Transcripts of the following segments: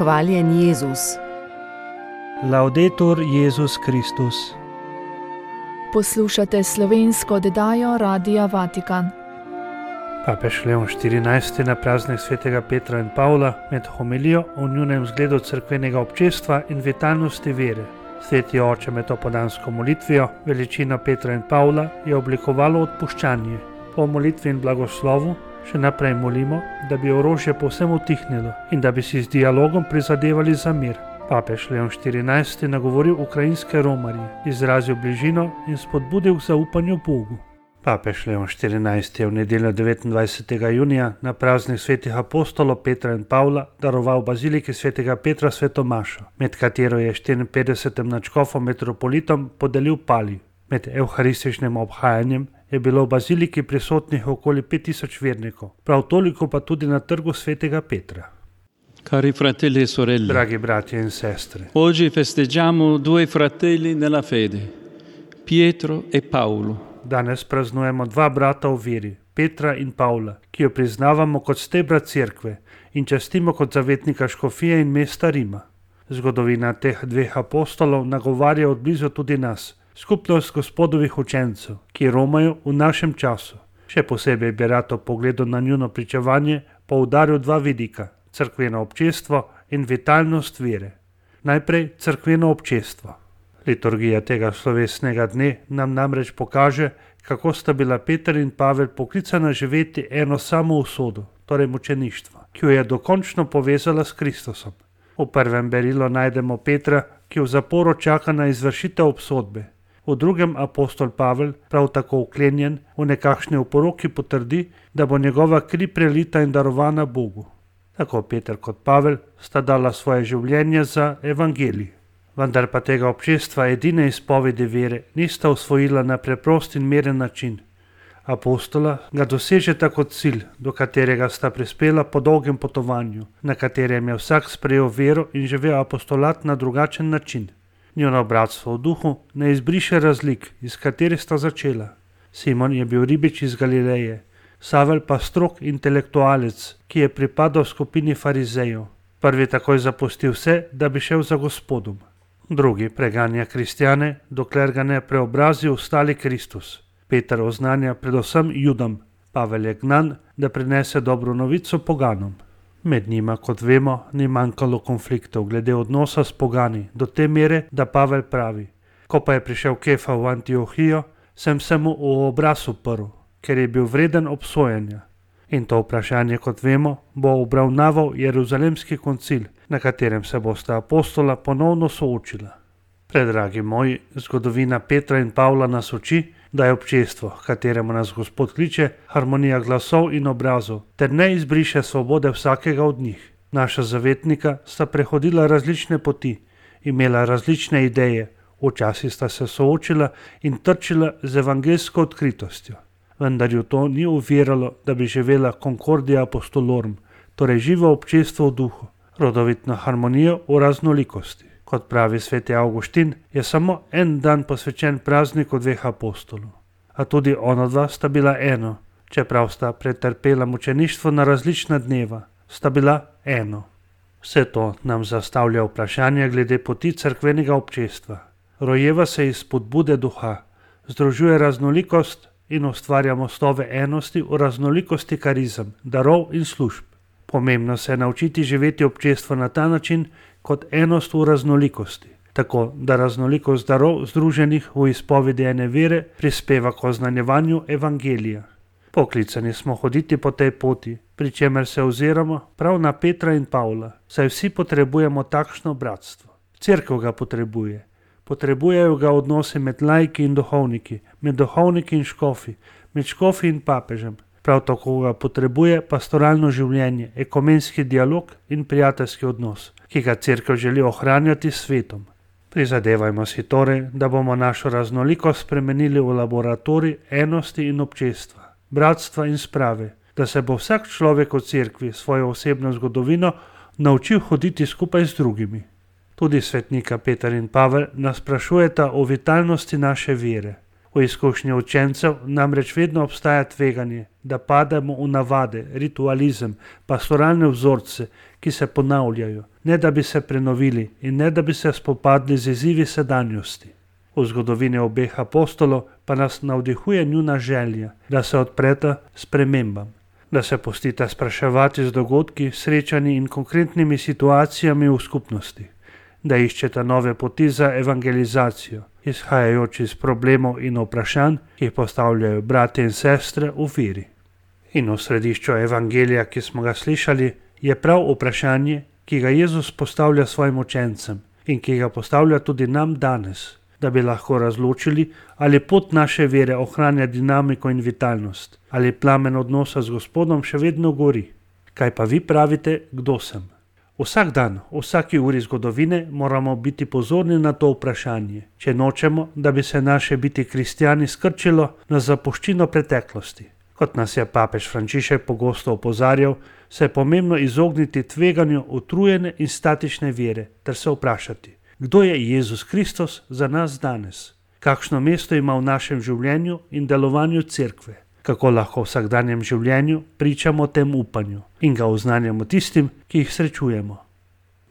Hvaljen Jezus. Laudetur Jezus Kristus. Poslušate slovensko oddajo Radia Vatikan. Papež Leon XIV. Na praznik svetega Petra in Pavla med homilijo o njunem zgledu cerkvenega občestva in vitalnosti vere. Sveti oče med opoldansko molitvijo, veličino Petra in Pavla, je oblikovalo odpuščanje. Po molitvi in blagoslovu še naprej molimo, da bi orožje povsem utihnilo in da bi si z dialogom prizadevali za mir. Papež Leon XIV. Nagovoril ukrajinske romarje, izrazil bližino in spodbudil k zaupanju Bogu. Papež Leon XIV. Je v nedeljo 29. junija na praznik svetih apostolov Petra in Pavla daroval baziliki svetega Petra sveto mašo, med katero je 54. nadškofom metropolitom podelil palij. Med evharističnim obhajanjem je bilo v baziliki prisotnih okoli 5000 vernikov, prav toliko pa tudi na trgu svetega Petra. Cari fratelli e sorelle, Dragi bratje in sestre, oggi festeggiamo due fratelli nella fede, Pietro e Paolo. danes praznujemo dva brata v veri, Petra in Pavla, ki jo priznavamo kot stebra cerkve in častimo kot zavetnika škofije in mesta Rima. Zgodovina teh dveh apostolov nagovarja od blizu tudi nas, skupnost Gospodovih učencev, ki romajo v našem času. Še posebej bi rad ob pogledu na njuno pričevanje poudaril dva vidika, cerkveno občestvo in vitalnost vere. Najprej cerkveno občestvo. Liturgija tega slovesnega dne nam namreč pokaže, kako sta bila Peter in Pavel poklicana živeti eno samo usodo, torej mučeništvo, ki jo je dokončno povezala s Kristusom. V prvem berilu najdemo Petra, ki v zaporu čaka na izvršitev obsodbe. V drugem apostol Pavel, prav tako vklenjen v nekakšni oporoki, potrdi, da bo njegova kri prelita in darovana Bogu. Tako Peter kot Pavel sta dala svoje življenje za evangelij. Vendar pa tega občestva edine izpovedi vere nista osvojila na preprost in miren način. Apostola ga dosežeta kot cilj, do katerega sta prispela po dolgem potovanju, na katerem je vsak sprejel vero in živel apostolat na drugačen način. Njuno bratstvo v duhu ne izbriše razlik, iz katerih sta začela. Simon je bil ribič iz Galileje, Savel pa strog intelektualec, ki je pripadal skupini farizejev. Prvi takoj zapustil vse, da bi šel za Gospodom. Drugi preganja kristjane, dokler ga ne preobrazi ostali Kristus. Peter oznanja predvsem Judom, Pavel je gnan, da prinese dobro novico poganom. Med njima, kot vemo, ni manjkalo konfliktov glede odnosa s pogani, do te mere, da Pavel pravi: ko pa je prišel Kefa v Antiohijo, sem se mu v obraz uprl, ker je bil vreden obsojanja. In to vprašanje, kot vemo, bo obravnaval Jeruzalemski koncil, na katerem se bosta apostola ponovno soočila. Predragi moji, zgodovina Petra in Pavla nas uči, da je občestvo, h kateremu nas Gospod kliče, harmonija glasov in obrazov, ter ne izbriše svobode vsakega od njih. Naša zavetnika sta prehodila različne poti, imela različne ideje, včasih sta se soočila in trčila z evangeljsko odkritostjo. Vendar ju to ni uviralo, da bi živela concordia apostolorum, torej živo občestvo v duhu, rodovitno harmonijo v raznolikosti. Kot pravi sveti Avguštin, je samo en dan posvečen prazniku dveh apostolov. A tudi onadva sta bila eno, čeprav sta pretrpela mučeništvo na različna dneva, sta bila eno. Vse to nam zastavlja vprašanje glede poti cerkvenega občestva. Rojeva se iz spodbude duha, združuje raznolikost in ustvarja mostove enosti v raznolikosti karizem, darov in služb. Pomembno se je naučiti živeti občestvo na ta način kot enost v raznolikosti, tako da raznolikost darov združenih v izpovedi ene vere prispeva k oznanjevanju evangelija. Poklicani smo hoditi po tej poti, pri čemer se oziramo prav na Petra in Pavla, saj vsi potrebujemo takšno bratstvo. Cerkev ga potrebuje. Potrebujejo ga odnosi med laiki in duhovniki, med duhovniki in škofi, med škofi in papežem. Prav tako ga potrebuje pastoralno življenje, ekumenski dialog in prijateljski odnos, ki ga cerkev želi ohranjati s svetom. Prizadevajmo si torej, da bomo našo raznolikost spremenili v laboratorij enosti in občestva, bratstva in sprave, da se bo vsak človek v cerkvi svojo osebno zgodovino naučil hoditi skupaj z drugimi. Tudi svetnika Peter in Pavel nas sprašujeta o vitalnosti naše vere. V izkušnji učencev namreč vedno obstaja tveganje, da pademo v navade, ritualizem, pastoralne vzorce, ki se ponavljajo, ne da bi se prenovili in ne da bi se spopadli z izzivi sedanjosti. V zgodovini obeh apostolov pa nas navdihuje njuna želja, da se odpreta spremembam, da se pustita spraševati z dogodki, srečanji in konkretnimi situacijami v skupnosti, da iščeta nove poti za evangelizacijo, izhajajoč iz problemov in vprašanj, ki jih postavljajo bratje in sestre v veri. In v središču evangelija, ki smo ga slišali, je prav vprašanje, ki ga Jezus postavlja svojim učencem in ki ga postavlja tudi nam danes, da bi lahko razločili, ali pot naše vere ohranja dinamiko in vitalnost, ali plamen odnosa z Gospodom še vedno gori. Kaj pa vi pravite, kdo sem? Vsak dan, v vsaki uri zgodovine moramo biti pozorni na to vprašanje, če nočemo, da bi se naše biti kristjani skrčilo na zapuščino preteklosti. Kot nas je papež Frančišek pogosto opozarjal, se je pomembno izogniti tveganju utrujene in statične vere ter se vprašati, kdo je Jezus Kristus za nas danes, kakšno mesto ima v našem življenju in delovanju cerkve, kako lahko v vsakdanjem življenju pričamo tem upanju in ga oznanjamo tistim, ki jih srečujemo.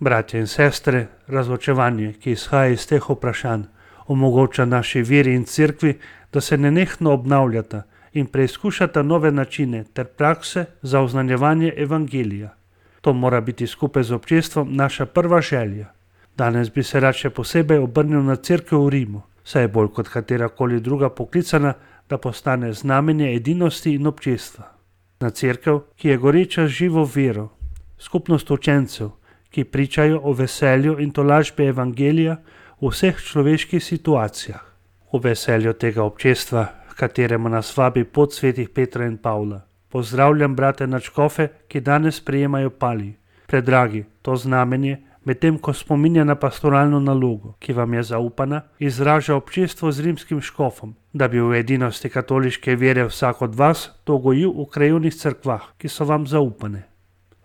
Bratje in sestre, razločevanje, ki izhaja iz teh vprašanj, omogoča naši veri in cerkvi, da se nenehno obnavljata in preizkušata nove načine ter prakse za oznanjevanje evangelija. To mora biti skupaj z občestvom naša prva želja. Danes bi se rad še posebej obrnil na cerkev v Rimu, saj je bolj kot katerakoli druga poklicana, da postane znamenje edinosti in občestva. Na cerkev, ki je goreča z živo vero, skupnost učencev, ki pričajo o veselju in tolažbi evangelija v vseh človeških situacijah. V veselju tega občestva, kateremu nas vabi pot svetih Petra in Pavla. Pozdravljam brate nadškofe, ki danes prejemajo palij. Predragi, to znamenje, medtem ko spominja na pastoralno nalogo, ki vam je zaupana, izraža občestvo z rimskim škofom, da bi v edinosti katoliške vere vsak od vas to gojil v krajevnih cerkvah, ki so vam zaupane.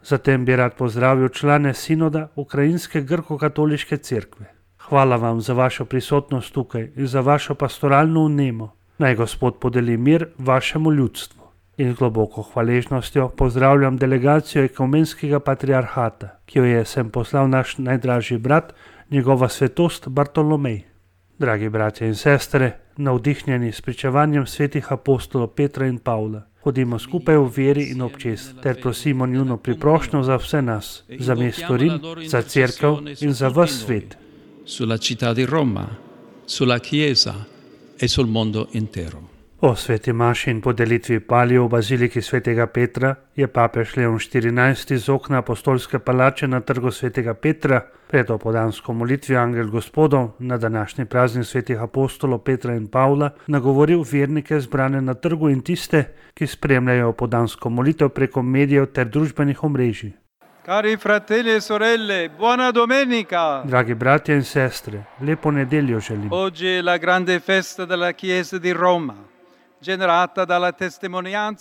Zatem bi rad pozdravil člane sinoda Ukrajinske grko-katoliške cerkve. Hvala vam za vašo prisotnost tukaj in za vašo pastoralno vnemo. Naj Gospod podeli mir vašemu ljudstvu. In z globoko hvaležnostjo pozdravljam delegacijo ekumenskega patriarhata, ki jo je sem poslal naš najdražji brat, njegova svetost Bartolomej. Dragi bratje in sestre, navdihnjeni s pričevanjem svetih apostolov Petra in Pavla, hodimo skupaj v veri in občest, ter prosimo njuno priprošnjo za vse nas, za mesto Rim, za cerkev in za ves svet. Sulla città di Roma, sulla Chiesa e sul mondo intero. O sveti maši in podelitvi palij v baziliki svetega Petra je papež Leon XIV iz okna apostolske palače na trgu svetega Petra pred opoldansko molitvijo Angel Gospodov na današnji praznik svetih apostolov Petra in Pavla nagovoril vernike zbrane na trgu in tiste, ki spremljajo opoldansko molitev preko medijev ter družbenih omrežij. Cari fratelli e sorelle, buona domenica! Dragi bratje in sestre, lepo nedeljo želim. Oggi è la grande festa della Chiesa di Roma.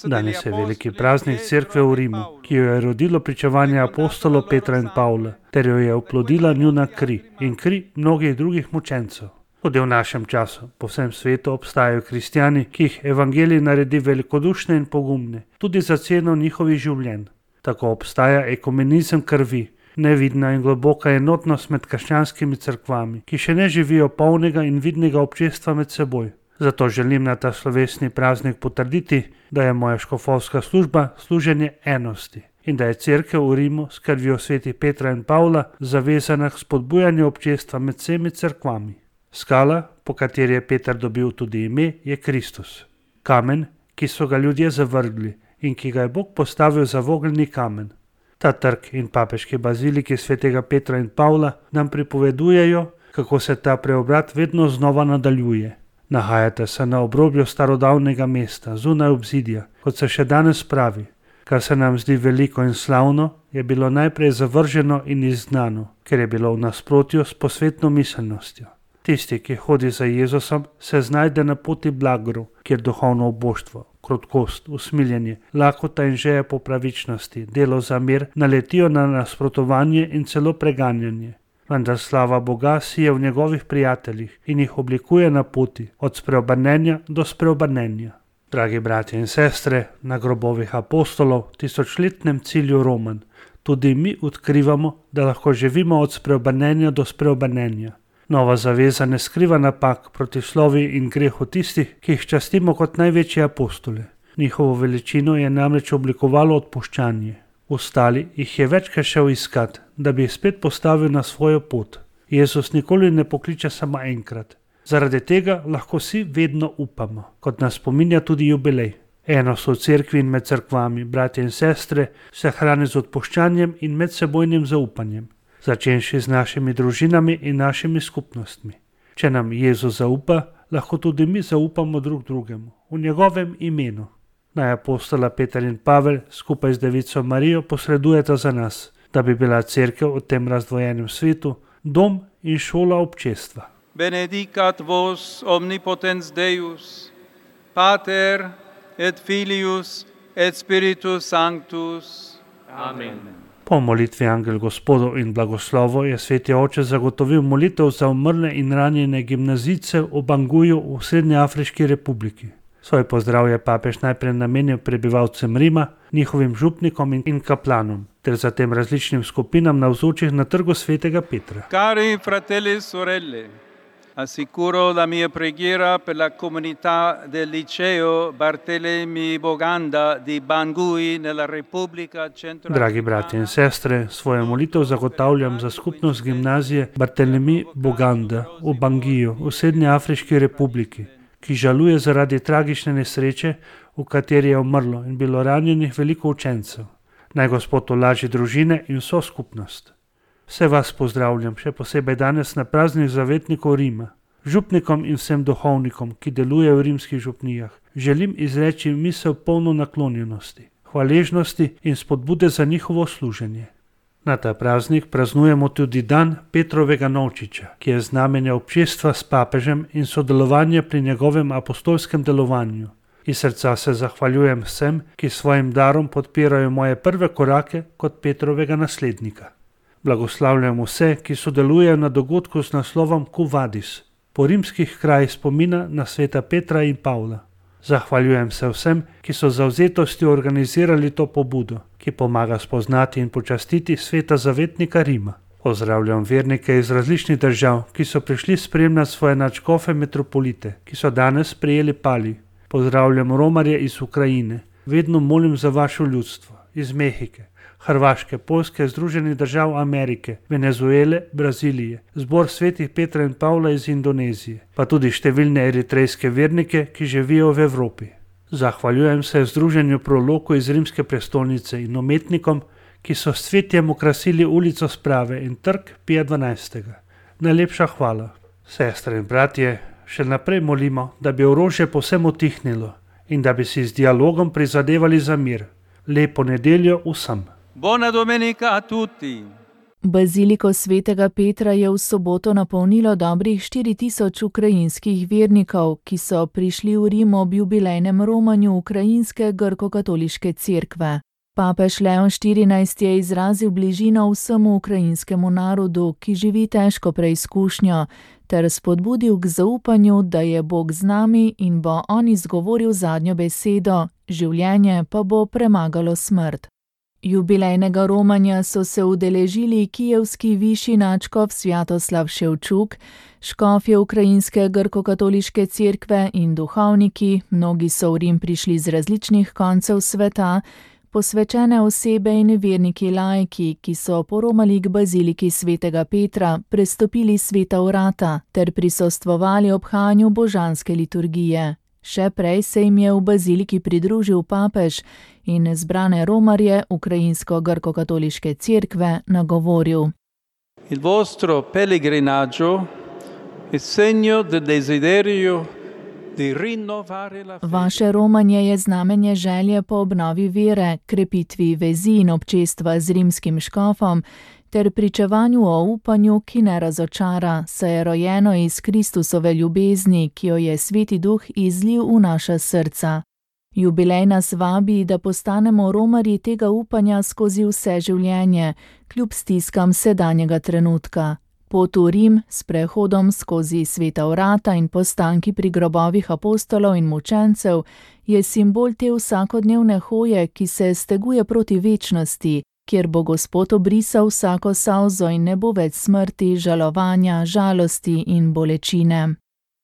Danes je veliki praznik cerkve v Rimu, ki jo je rodilo pričevanje apostolov Petra in Pavla, ter jo je oplodila njuna kri in kri mnogih drugih mučencev. Tudi v našem času, po vsem svetu obstajajo kristjani, ki jih evangelij naredi velikodušne in pogumne, tudi za ceno njihovih življenj. Tako obstaja ekumenizem krvi, nevidna in globoka enotnost med krščanskimi cerkvami, ki še ne živijo polnega in vidnega občestva med seboj. Zato želim na ta slovesni praznik potrditi, da je moja škofovska služba služenje enosti in da je cerkev v Rimu s krvjo svetih Petra in Pavla zavezana k spodbujanju občestva med vsemi cerkvami. Skala, po kateri je Peter dobil tudi ime, je Kristus. Kamen, ki so ga ljudje zavrgli in ki ga je Bog postavil za vogelni kamen. Ta trg in papeški baziliki svetega Petra in Pavla nam pripovedujejo, kako se ta preobrat vedno znova nadaljuje. Nahajate se na obrobju starodavnega mesta, zunaj obzidja, kot se še danes pravi. Kar se nam zdi veliko in slavno, je bilo najprej zavrženo in izgnano, ker je bilo v nasprotju s posvetno miselnostjo. Tisti, ki hodi za Jezusom, se znajde na poti blagorov, kjer duhovno oboštvo, krotkost, usmiljenje, lakota in želja po pravičnosti, delo za mir naletijo na nasprotovanje in celo preganjanje. vendar slava Boga sije v njegovih prijateljih in jih oblikuje na poti od spreobrnenja do spreobrnenja. Dragi bratje in sestre, na grobovih apostolov, tisočletnem cilju Roman, tudi mi odkrivamo, da lahko živimo od spreobrnenja do spreobrnenja. Nova zaveza ne skriva napak, protislovij in grehu tistih, ki jih častimo kot največje apostole. Njihovo veličino je namreč oblikovalo odpuščanje. Ostali jih je večkrat šel iskat, da bi jih spet postavil na svojo pot. Jezus nikoli ne pokliče samo enkrat. Zaradi tega lahko vsi vedno upamo, kot nas spominja tudi jubilej. Enost v cerkvi in med cerkvami, bratje in sestre, se hrani z odpuščanjem in medsebojnim zaupanjem, začenši z našimi družinami in našimi skupnostmi. Če nam Jezus zaupa, lahko tudi mi zaupamo drug drugemu, v njegovem imenu. Naj apostola Peter in Pavel skupaj z Devico Marijo posredujeta za nas, da bi bila cerkev v tem razdvojenem svetu dom in šola občestva. Benedicat vos omnipotens Deus, Pater et Filius et Spiritus Sanctus. Amen. Po molitvi Angel Gospodov in blagoslovo je sveti oče zagotovil molitev za umrle in ranjene gimnazijce v Banguju v Srednjeafriški republiki. Svoj pozdrav je papež najprej namenil prebivalcem Rima, njihovim župnikom in kaplanom, ter zatem različnim skupinam navzočih na trgu svetega Petra. Cari fratelli e sorelle, assicuro la mia preghiera per la comunità del liceo Bartolomeo Boganda di Bangui nella Repubblica Centrafricana. Dragi bratje in sestre, svojo molitev zagotavljam za skupnost gimnazije Bartolomeo Boganda v Bangiju v Srednjeafriški republiki, ki žaluje zaradi tragične nesreče, v kateri je umrlo in bilo ranjenih veliko učencev. Naj Gospod olaži družine in vso skupnost. Vse vas pozdravljam, še posebej danes na praznih zavetnikov Rima. Župnikom in vsem duhovnikom, ki delujejo v rimskih župnijah, želim izreči misel polno naklonjenosti, hvaležnosti in spodbude za njihovo služenje. Na ta praznik praznujemo tudi dan Petrovega novčiča, ki je znamenje občestva s papežem in sodelovanja pri njegovem apostolskem delovanju. Iz srca se zahvaljujem vsem, ki svojim darom podpirajo moje prve korake kot Petrovega naslednika. Blagoslavljam vse, ki sodelujejo na dogodku z naslovom Quo Vadis, po rimskih krajih spomina na sveta Petra in Pavla. Zahvaljujem se vsem, ki so z zavzetostjo organizirali to pobudo, ki pomaga spoznati in počastiti sveta zavetnika Rima. Pozdravljam vernike iz različnih držav, ki so prišli spremljati svoje nadškofe metropolite, ki so danes prejeli pali. Pozdravljam romarje iz Ukrajine. Vedno molim za vaše ljudstvo, iz Mehike, Hrvaške, Poljske, Združenih držav Amerike, Venezuele, Brazilije, zbor svetih Petra in Pavla iz Indonezije, pa tudi številne eritrejske vernike, ki živijo v Evropi. Zahvaljujem se Združenju Proloko iz rimske prestolnice in umetnikom, ki so s cvetjem okrasili ulico Sprave in trg Pija XII. Najlepša hvala. Sestre in bratje, še naprej molimo, da bi orožje povsem utihnilo in da bi si z dialogom prizadevali za mir. Lepo nedeljo vsem. Buona domenica a tutti. Baziliko svetega Petra je v soboto napolnilo dobrih 4000 ukrajinskih vernikov, ki so prišli v Rim ob jubilejnem romanju ukrajinske grko-katoliške cerkve. Papež Leon XIV je izrazil bližino vsemu ukrajinskemu narodu, ki živi težko preizkušnjo, ter spodbudil k zaupanju, da je Bog z nami in bo on izgovoril zadnjo besedo, življenje pa bo premagalo smrt. Jubilejnega romanja so se udeležili kijevski višji nadškof Svjatoslav Ševčuk, škofje ukrajinske grko-katoliške cerkve in duhovniki, mnogi so v Rim prišli z različnih koncev sveta, posvečene osebe in verniki laiki, ki so poromali k baziliki svetega Petra, prestopili sveta vrata ter prisostvovali obhajanju božanske liturgije. Še prej se jim je v baziliki pridružil papež in zbrane romarje ukrajinsko-grko-katoliške cerkve nagovoril. Il vostro pellegrinaggio è segno del desiderio di rinnovare la fede. Vaše romanje je znamenje želje po obnovi vere, krepitvi vezi in občestva z rimskim škofom ter pričevanju o upanju, ki ne razočara, saj je rojeno iz Kristusove ljubezni, ki jo je Sveti Duh izlil v naša srca. Jubilej nas vabi, da postanemo romarji tega upanja skozi vse življenje, kljub stiskam sedanjega trenutka. Pot v Rim s prehodom skozi sveta vrata in postanki pri grobovih apostolov in mučencev je simbol te vsakodnevne hoje, ki se steguje proti večnosti, kjer bo Gospod obrisal vsako solzo in ne bo več smrti, žalovanja, žalosti in bolečine.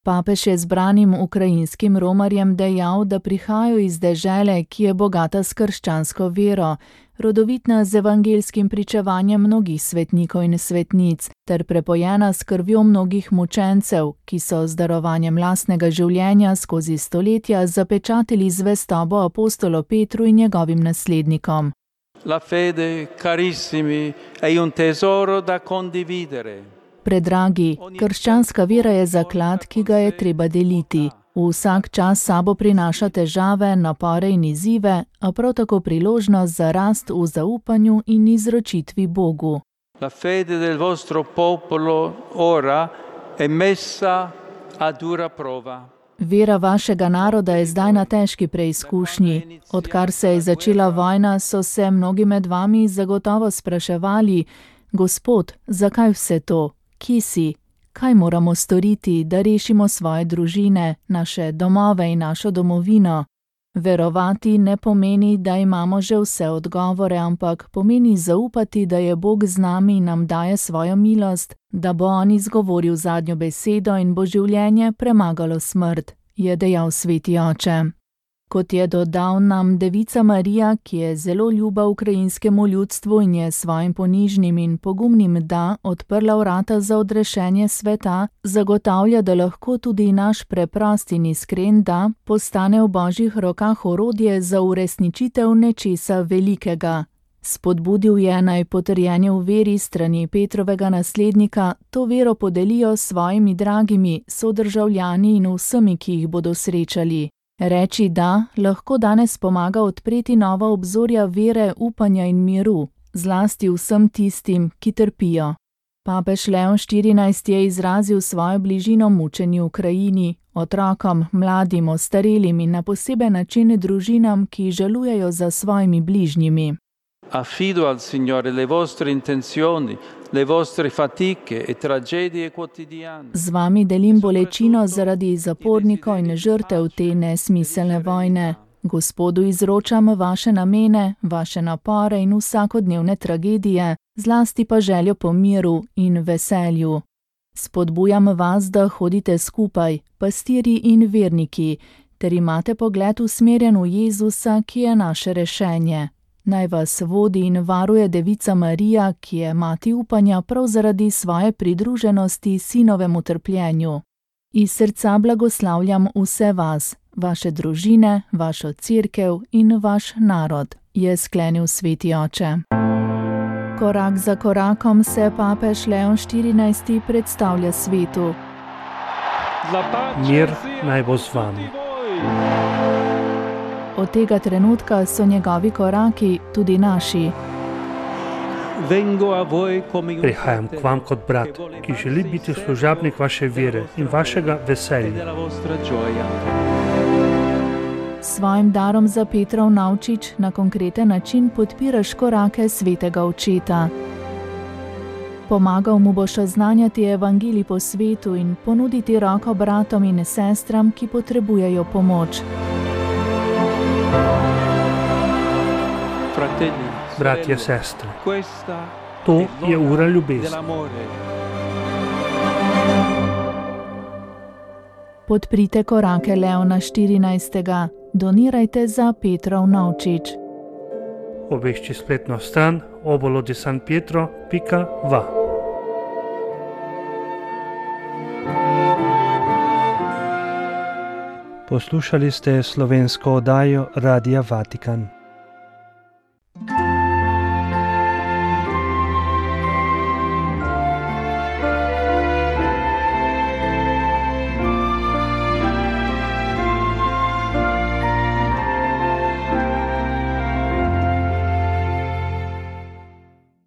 Papež je zbranim ukrajinskim romarjem dejal, da prihajajo iz dežele, ki je bogata s krščansko vero, rodovitna z evangelskim pričevanjem mnogih svetnikov in svetnic, ter prepojena s krvjo mnogih mučencev, ki so z darovanjem lastnega življenja skozi stoletja zapečatili zvestobo apostolu Petru in njegovim naslednikom. La fede, carissimi, è un tesoro da condividere. Predragi, krščanska vera je zaklad, ki ga je treba deliti. Vsak čas sabo prinaša težave, napore in izzive, a prav tako priložnost za rast v zaupanju in izročitvi Bogu. La fede del vostro popolo ora è messa a dura prova. Vera vašega naroda je zdaj na težki preizkušnji. Odkar se je začela vojna, so se mnogi med vami zagotovo spraševali: Gospod, zakaj vse to? Kje si? Kaj moramo storiti, da rešimo svoje družine, naše domove in našo domovino? Verovati ne pomeni, da imamo že vse odgovore, ampak pomeni zaupati, da je Bog z nami in nam daje svojo milost, da bo on izgovoril zadnjo besedo in bo življenje premagalo smrt, je dejal sveti oče. Kot je dodal, nam Devica Marija, ki je zelo ljuba ukrajinskemu ljudstvu in je svojim ponižnim in pogumnim da odprla vrata za odrešenje sveta, zagotavlja, da lahko tudi naš preprost in iskren da postane v Božjih rokah orodje za uresničitev nečesa velikega. Spodbudil je, naj potrjeni v veri strani Petrovega naslednika to vero podelijo s svojimi dragimi sodržavljani in vsemi, ki jih bodo srečali. Reči da lahko danes pomaga odpreti nova obzorja vere, upanja in miru, zlasti vsem tistim, ki trpijo. Papež Leon XIV je izrazil svojo bližino mučenju v Ukrajini, otrokom, mladim, ostarelim in na poseben način družinam, ki žalujejo za svojimi bližnjimi. Affido al Signore le vostre intenzioni, le vostre fatiche e tragedie quotidiane. Z vami delim bolečino zaradi zapornikov in žrtev te nesmiselne vojne. Gospodu izročam vaše namene, vaše napore in vsakodnevne tragedije, zlasti pa željo po miru in veselju. Spodbujam vas, da hodite skupaj, pastirji in verniki, ter imate pogled usmerjen v Jezusa, ki je naše rešenje. Naj vas vodi in varuje Devica Marija, ki je mati upanja prav zaradi svoje pridruženosti sinovemu trpljenju. Iz srca blagoslavljam vse vas, vaše družine, vašo cerkev in vaš narod, je sklenil sveti oče. Korak za korakom se papež Leon XIV predstavlja svetu. Mir naj bo z vami. Od tega trenutka so njegovi koraki tudi naši. Prihajam k vam kot brat, ki želi biti služabnik vaše vere in vašega veselja. S svojim darom za Petrov Navčič na konkreten način podpiraš korake svetega očeta. Pomagal mu boš oznanjati evangelij po svetu in ponuditi roko bratom in sestram, ki potrebujejo pomoč. Bratje, sestre, to je ura ljubezni. Podprite korake Leona XIV. Donirajte za Petrov Navčič. Obešči spletno stran obolo-di-san-pietro.va. Poslušali ste slovensko oddajo Radia Vatikan.